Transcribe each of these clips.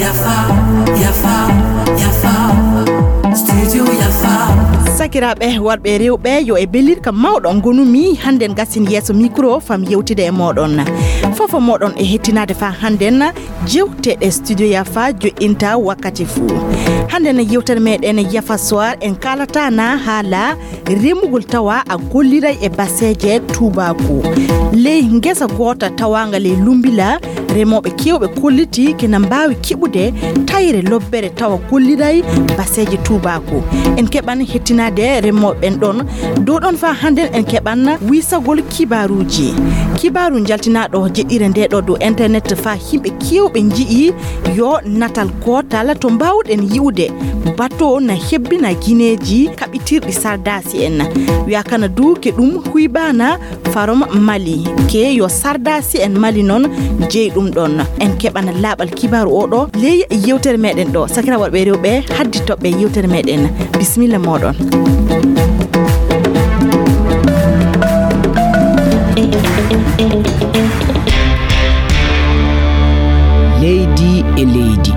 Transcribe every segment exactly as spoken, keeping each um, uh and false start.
Yafa, yafa, yafa. Studio yafa. Sakiraaɓe worɓe e rewɓe, yo e belirka mawɗo ngonumi hannden gasin yeeso micro fam yewtide e mooɗon. Fofo mooɗon e hettinaade faa hannden jewteɗe studio yafa joɗɗinta wakkati fuu. Hannden yewtere meɗen yafa soir en kaalata na haala remugol tawa a golliray e baseeje tuubaaku. Ley ngesa goota tawaanga ley Lumbila, remooɓe keewɓe kolliti kena mbaawi keɓude tayre lobbere tawa golliray baseeje tuubaaku. En keɓan hettinaade remooɓe ɓen ɗon. Dow ɗon faa hannden en keɓan wiisagol kibaaruuji. Kibaaru njaltinaaɗo jeɗɗire nde ɗo dow internet faa yimɓe keewɓe nji'i yo natal gootal to mbaawɗen yi'ude bato na hebbina gineeji kaɓɓitirɗi sardaasi en. Wi'a kana du ke ɗum huyɓaana farom Mali ke yo sardaasi en Mali non jeyi ɗum ɗon. En keɓana laaɓal kibaaru o ɗo ley yewtere meɗen ɗo. Sakira worɓe e rewɓe, haddi toɓɓe yewtere meɗen. Bisimilla mooɗon. Leydi e leydi.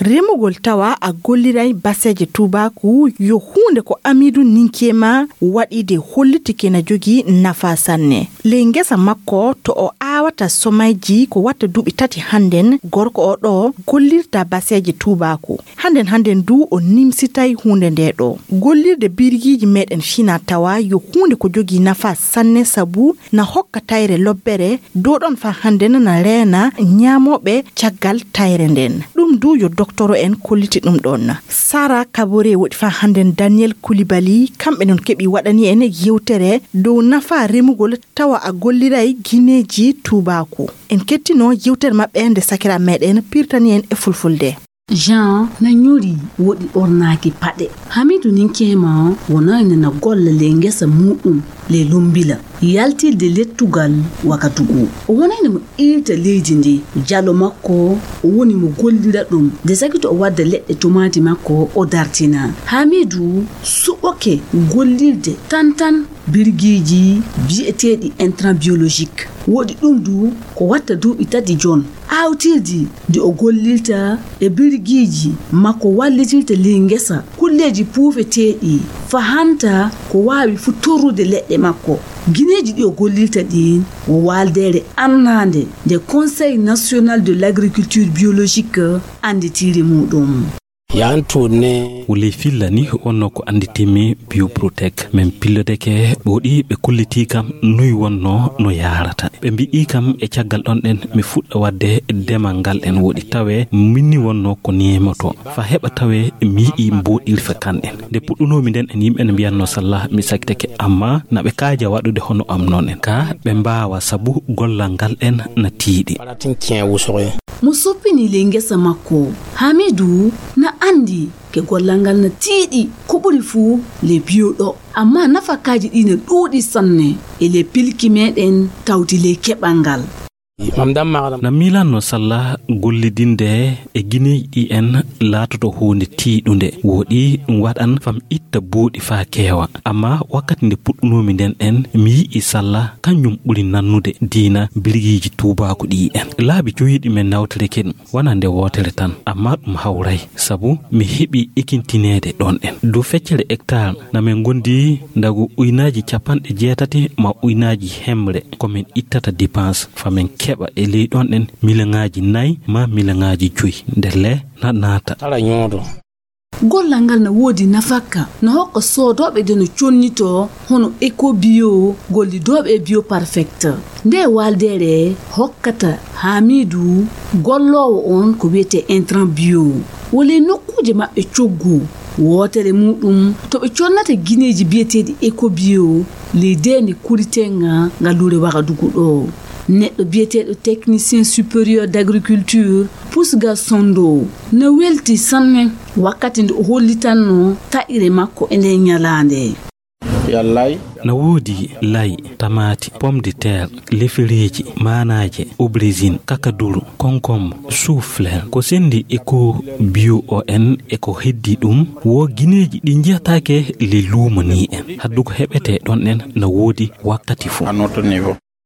Remugol tawa a golliray baseeje tuubaaku yo huunde ko Amidu Ninkeema waɗiide hollitike na jogii nafaa sanne. Ley ngesa makko to o aawata somayji ko watta duuɓi tati hannden, gorko o ɗo gollirta baseeje tuubaaku. Hannden hannden du o nimsitay huunde nde ɗo. Gollirde birgiiji meɗen fina tawa yo huunde ko jogii nafaa sanne sabu na hokka tayre lobbere, dow ɗon faa hannden na reena ñaamooɓe caggal tayre nden. Ɗum du yo doktoro en kolliti ɗum ɗon. Sara Kabore woɗi faa hannden Daniel Koulibaly, kamɓe non keɓi waɗani en yewtere dow nafaa remugol tawa a golliray gineeji tuubaaku. En kettino yewtere maɓɓe nde sakira meɗen pirtani en e fulfulde. Jean na ñori woɗi ɓornaaki paɗe. Hamidu Ninkeema wonayno na golla ley ngesa muuɗum ley Lumbila, yaltirde lettugal Wagadugu. O wonayno mo iirta leydi ndi. Jalo makko o woni mo gollira ɗum. Nde sakito o wadda leɗɗe tumaati makko o dartina. Hamidu suɓoke gollirde tan tan birgiiji biyeteeɗi intrant biologique. Woɗi ɗum du ko watta duuɓi tati jon. Aawtirdi ndi o gollirta e birgiiji makko wallitirta ley ngesa kulleeji puufeteeɗi fahanta ko waawi fu torrude leɗɗe makko. Gineeji ɗi o gollirta ɗin wo waaldeere annaande nde Conseil National de l'Agriculture Biologique annditiiri muuɗum. Yaan tuunne. Wuli filla ni wonno ko annditimi Bioprotec. Min pillodeke ɓooɗi ɓe kullitii kam noy wonno no yaarata. Ɓe mbi'i kam e caggal ɗon ɗen mi fuɗɗa waɗde demal ngal ɗen woɗi tawe minni wonno ko nemoto. Fa heɓa tawe mi yi'i mboɗirfe kan ɗen. Nde puɗɗunoomi nden en yimɓe ne mbiyanno sallah mi sakteke amma na ɓe kaaja waɗude hono am non en. Ka ɓe mbaawa sabu gollal ngal ɗen na tiiɗi. Mo soppini ley ngesa makko, Hamidu na anndi ke gollal ngal na tiiɗi ko ɓuri fuu ley biyo ɗo. Amma nafakaaji ɗi na ɗuuɗi sanne e ley pilki meɗen tawti ley keɓal ngal. Na miilanno sallah gollidinde e gineeji ɗi en laatoto huunde tiiɗunde. Woɗi ɗum waɗan fam itta buuɗi faa keewa. Amma wakkati nde puɗɗunoomi nden en mi yi'i sallah kanjum ɓuri nannude diina birgiiji tuubaaku ɗi en. Laabi joyiiɗi men nawtoreke ɗum wona nde wootere tan, amma ɗum hawray sabu mi heɓi ekintineede ɗon en. Dow feccere hectare na min ngondi ndagu uynaaji capanɗe jeetati ma uynaaji hemre ko min ittata dépense fa min keɓa e ley ɗon en miliyoŋaaji nay ma miliyoŋaaji joyi nde le na naata. Gollal ngal na woodi nafakka, na hokka soodooɓe de no connitoo hono Eco Bio, gollidooɓe e Bio Perfect. Nde waaldeere hokkata Hamidu golloowo on ko wiyetee intrant bio. Wo ley nokkuuje maɓɓe coggu, wootere muuɗum to ɓe connata gineeji biyeteeɗi Eco Bio ley deende Kuritenga ngal luure Wagadugu ɗo. Neɗɗo biyeteeɗo technicien supérieur d'agriculture Pusga Sondo na welti sanne wakkati nde o hollitanno taƴre makko e nden ñalaande. Na woodi layi, tamaati, pomme de terre, lefereeji, maanaaje, aubergine, kakaduru, concombre, chou-fleur. Ko senndi e ko bio o en e ko heddi ɗum, wo gineeji ɗi njiyataake le luumo ni en. Haddu ko heɓete ɗon en na woodi wakkati fof.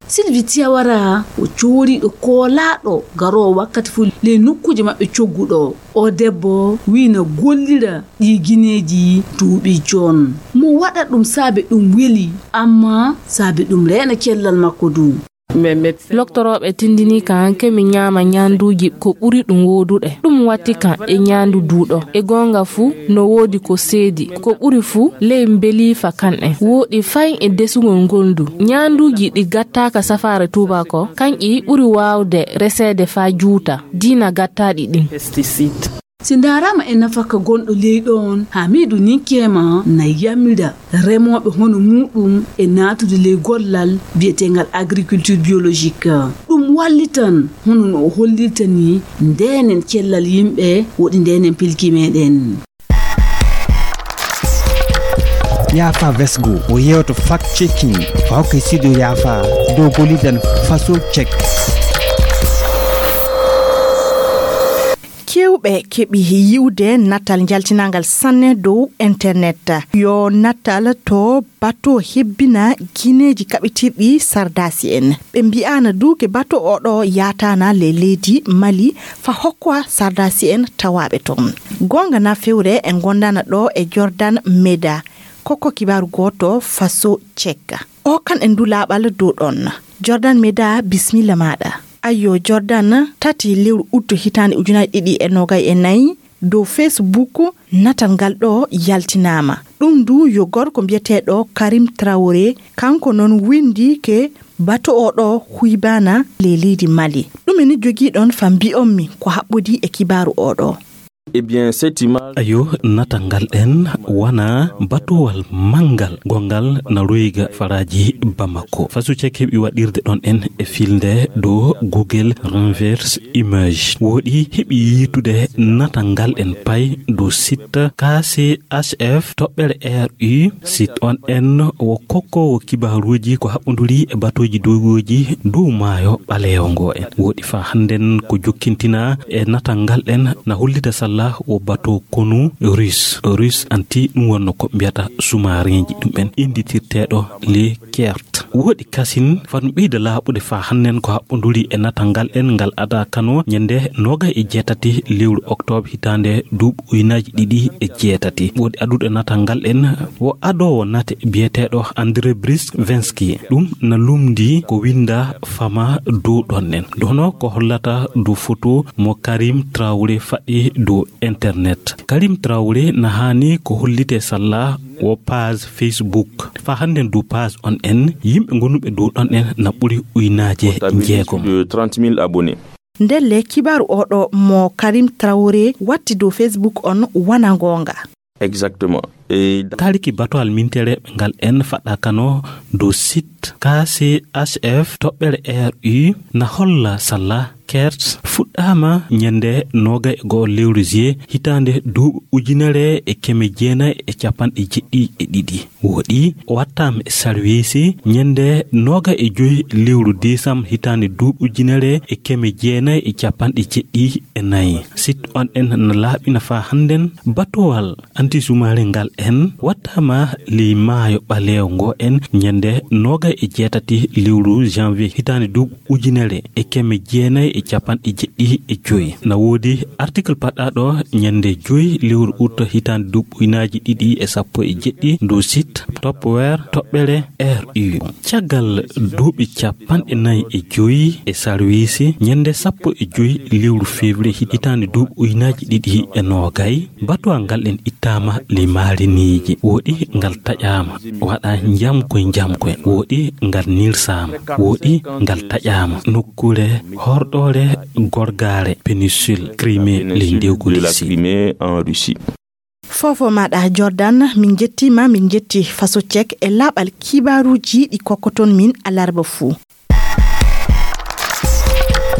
Sylvie Tiawara ko cooriiɗo koolaaɗo garoowo wakkati fof ley nokkuuje maɓɓe cogguɗo. O debbo wiina gollira ɗi gineeji duuɓi joon. Mo waɗa ɗum saabe ɗum weli, amma saabe ɗum reena cellal makko du. Loktorooɓe tindinii kan ke mi ñaama ñaanduuji ko ɓuri ɗum woodude. Ɗum watti kan e ñaandu duuɗo. E goonga fuu, no woodi ko seedi. Ko ɓuri fuu, ley mbeliifa kan en. Wooɗi fay e desugol ngol ndu. Ñaanduuji ɗi gattaaka safaare tuubako, kanƴi ɓuri waawde reseede faa juuta diina gattaaɗi ɗin. Si ndaaraama e nafaka gonɗo ley ɗoon, Hamiidu Ninkeema na yamira remooɓe hono muuɗum e naatude ley gollal biyeteengal agriculture biologique. Ɗum wallitan hono no o hollirta ni ndeenen cellal yimɓe woɗi ndeenen pilki meeɗen. Yaafa Vesgo o yewto fact checking, o hokka studio Yaafa dow gollidan faso check. Kewɓe keɓi yiwde natal njaltinaangal sanne dow internet. Yo natal to bato hebbina gineeji kaɓitirɗi sardasi en. Ɓe mbi'aana duuke bato oɗo yaataana le leydi Mali fa hokkoa sardasi en tawaaɓe toon. Goonga na fewre e ngondaana ɗo e Jordan Meda. Kokko kibaaru gooto faso cekka. O kan en du laaɓal dow ɗon. Jordan Meda, bismilla maaɗa. Ayyo, Jordan, tati lewru utto hitaande ujunaaji ɗiɗi e noogay e nayi, dow Facebook, natal ngal ɗo yaltinaama. Ɗum du yo gorko mbiyeteeɗo Karim Traoré, kanko noon winndi ke bato o ɗo huybaana le leydi Mali. Ɗum ene jogii ɗon fa mbi'on mi ko haɓɓodii e kibaaru o ɗo. Eh bien, cette image. Ayo, natal ngal ɗen wona batowal manngal gongal na royga faraaji Bamako. Faso cek heɓi waɗirde ɗon en e filnde dow Google Reverse Image. Woɗi heɓi yiitude natal ngal en pay dow site K C H F toɓɓere R U, site on en wo kokkoowo kibaaruuji ko haɓɓonduri e batooji doygooji dow maayo ɓaleewo ngo en. Woɗi faa hannden ko jokkintinaa e natal ngal en na hollita salla wo bato konu Russe. Russe anti ɗum wonno ko mbiyata sous-marinji ɗum en innditirteeɗo le Kert. Woɗi kasin fanu ɓeyda laaɓude faa hannden ko haɓɓonduri e natal ngal en ngal ada kano ñande noogay e jeetati lewru oktoobre hitaande duuɓi ujunaaji ɗiɗi e jeetati. Woɗi aduɗo natal ngal en wo adoowo nate biyeteeɗo André Bruscinski. Ɗum na lumndi ko winnda fama dow ɗon en. Dono ko hollata dow foto mo Karim Traoré faɗɗi dow internet. Karim Traoré na haani ko hollite salla wo page Facebook. Faa hannden dow page on en, yimɓe gonuɓe dow ɗon en na ɓuri ujunaaje njeegom. De trente mille abonnés. Ndelle kibaaru oɗo mo Karim Traoré watti dow Facebook on wona ngoonga. Exactement. E taaliki batowal mintereeɓe ngal en faɗɗa kano dow site K C H F toɓɓere R U na holla salla Kert fuɗɗaama ñande noogay e go'o lewru juillet hitaande duuɓi ujunere e keme jeenayi e capanɗe jeɗɗi e ɗiɗi. Woɗi o wattaama e sarwiisi ñande noogay e joy lewru décembre hitaande duuɓi ujunere e keme jeenayi e capanɗe jeɗɗi e nayi. Site on en na laaɓina faa hannden batowal anti-sous-marin ngal en wattaama ley maayo ɓaleewo ngo en ñande noogay e jeetati lewru janvier hitaande duuɓi ujunere e keme jeenayi e capanɗe jeɗɗi e joy. Na woodi article paɗɗaaɗo ñande joy lewru ut hitaande duuɓi ujunaaji ɗiɗi e sappo e jeɗɗi dow site Topware toɓɓere R U. Caggal duuɓi capanɗe nayi e joy e sarwiisi, ñande sappo e joy lewru février hitaande duuɓi ujunaaji ɗiɗi e noogay, batowal ngal en ittaama ley maariniiji. Woɗi ngal taƴaama, waɗa njamkoy njamkoy. Woɗi ngal nirsaama. Woɗi ngal taƴaama nokkuure horɗoore gorgaare péninsule Crimée ley ndewgu Russie. Crimée en Russie. Foofo maaɗa Jordan, min njettiima, min njetti Faso Cek e laaɓal kibaaruuji ɗi kokkoton min alarba fuu.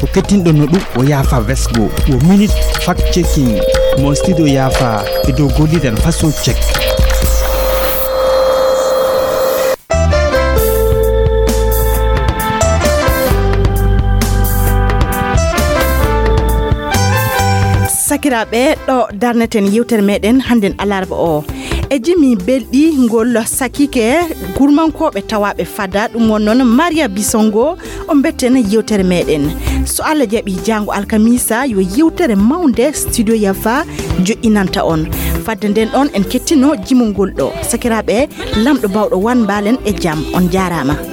Ko kettinɗon no ɗum o Yaafa Vesgo, wo minute fact checking mo studio Yaafa e dow gollidan Faso Cek. Hettaaɓe, ɗo darneten yewtere meɗen hannden alarba o. E jimi belɗi ngol sakike gurmankooɓe tawaaɓe fada, ɗum won noon Maria Bisongo, o mbetten yewtere meɗen. So Allah jaɓi, jaango alkamisa yo yewtere mawnde Studio Yafa joƴƴinanta on. Fadde nden ɗon en kettino jimol ngol ɗo. Sakiraaɓe, lamɗo bawɗo wan mbaalen e jam. On jaaraama.